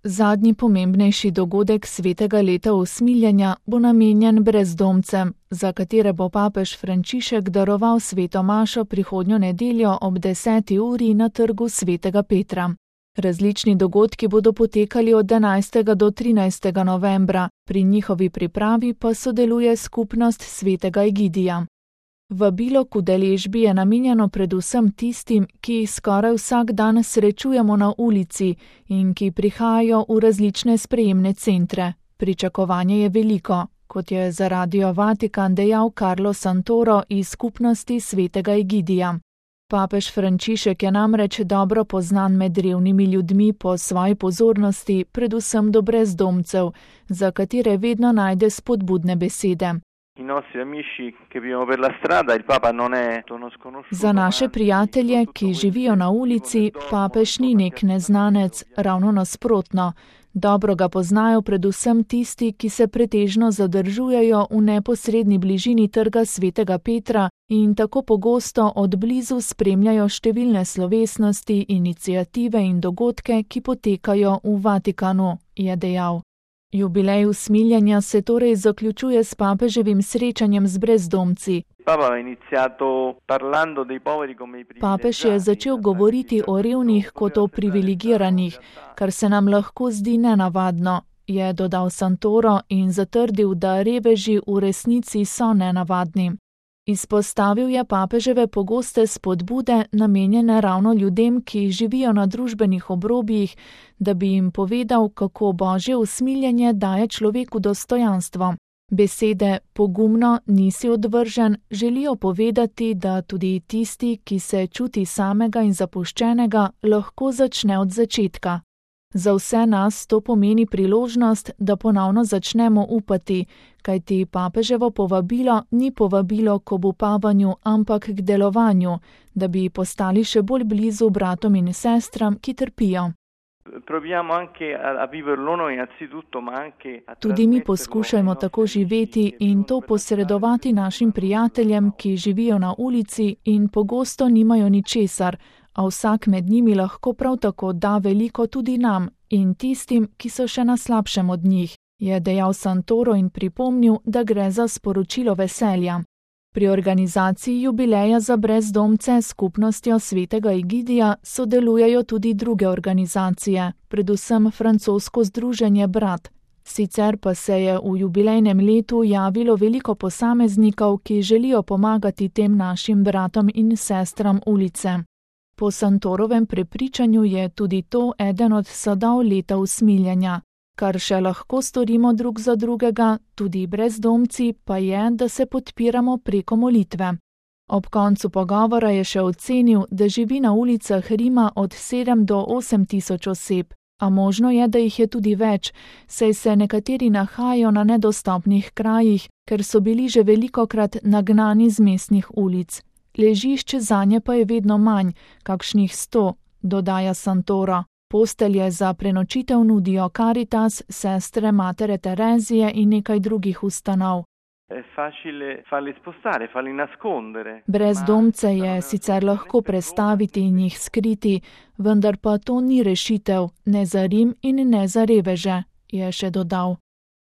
Zadnji pomembnejši dogodek svetega leta usmiljenja bo namenjen brezdomcem, za katere bo papež Frančišek daroval sveto mašo prihodnjo nedeljo ob 10. uri na trgu svetega Petra. Različni dogodki bodo potekali od 11. do 13. novembra, pri njihovi pripravi pa sodeluje skupnost svetega Egidija. Vabilo k udeležbi je namenjeno predvsem tistim, ki jih skoraj vsak dan srečujemo na ulici in ki prihajajo v različne sprejemne centre. Pričakovanje je veliko, kot je za Radio Vatikan dejal Carlo Santoro iz skupnosti svetega Egidija. Papež Frančišek je namreč dobro poznan med revnimi ljudmi po svoji pozornosti, predvsem do brezdomcev, za katere vedno najde spodbudne besede. Za naše prijatelje, ki živijo na ulici, papež ni nek neznanec, ravno nasprotno. Dobro ga poznajo predvsem tisti, ki se pretežno zadržujejo v neposredni bližini trga svetega Petra in tako pogosto od blizu spremljajo številne slovesnosti, iniciative in dogodke, ki potekajo v Vatikanu, je dejal. Jubilej usmiljenja se torej zaključuje s papeževim srečanjem z brezdomci. Papež je začel govoriti o revnih kot o privilegiranih, kar se nam lahko zdi nenavadno, je dodal Santoro in zatrdil, da reveži v resnici so nenavadni. Izpostavil je papeževe pogoste spodbude, namenjene ravno ljudem, ki živijo na družbenih obrobjih, da bi jim povedal, kako Božje usmiljenje daje človeku dostojanstvo. Besede pogumno, nisi odvržen želijo povedati, da tudi tisti, ki se čuti samega in zapuščenega, lahko začne od začetka. Za vse nas to pomeni priložnost, da ponovno začnemo upati, kajti papeževo povabilo ni povabilo k obupavanju, ampak k delovanju, da bi postali še bolj blizu bratom in sestram, ki trpijo. Tudi mi poskušajmo tako živeti in to posredovati našim prijateljem, ki živijo na ulici in pogosto nimajo ničesar, a vsak med njimi lahko prav tako da veliko tudi nam in tistim, ki so še na slabšem od njih, je dejal Santoro in pripomnil, da gre za sporočilo veselja. Pri organizaciji jubileja za brezdomce s skupnostjo svetega Egidija sodelujejo tudi druge organizacije, predvsem francosko združenje Brat. Sicer pa se je v jubilejnem letu javilo veliko posameznikov, ki želijo pomagati tem našim bratom in sestram ulice. Po Santorovem prepričanju je tudi to eden od sadov leta usmiljenja. Kar še lahko storimo drug za drugega, tudi brezdomci, pa je, da se podpiramo preko molitve. Ob koncu pogovora je še ocenil, da živi na ulicah Rima od 7 do 8 tisoč oseb, a možno je, da jih je tudi več, saj se nekateri nahajajo na nedostopnih krajih, ker so bili že velikokrat nagnani z mestnih ulic. Ležišče zanje pa je vedno manj, kakšnih 100, dodaja Santoro. Postelje za prenočitev nudijo Caritas, sestre Matere Terezije in nekaj drugih ustanov. Brezdomce je sicer lahko prestaviti in jih skriti, vendar pa to ni rešitev, ne za Rim in ne za reveže, je še dodal.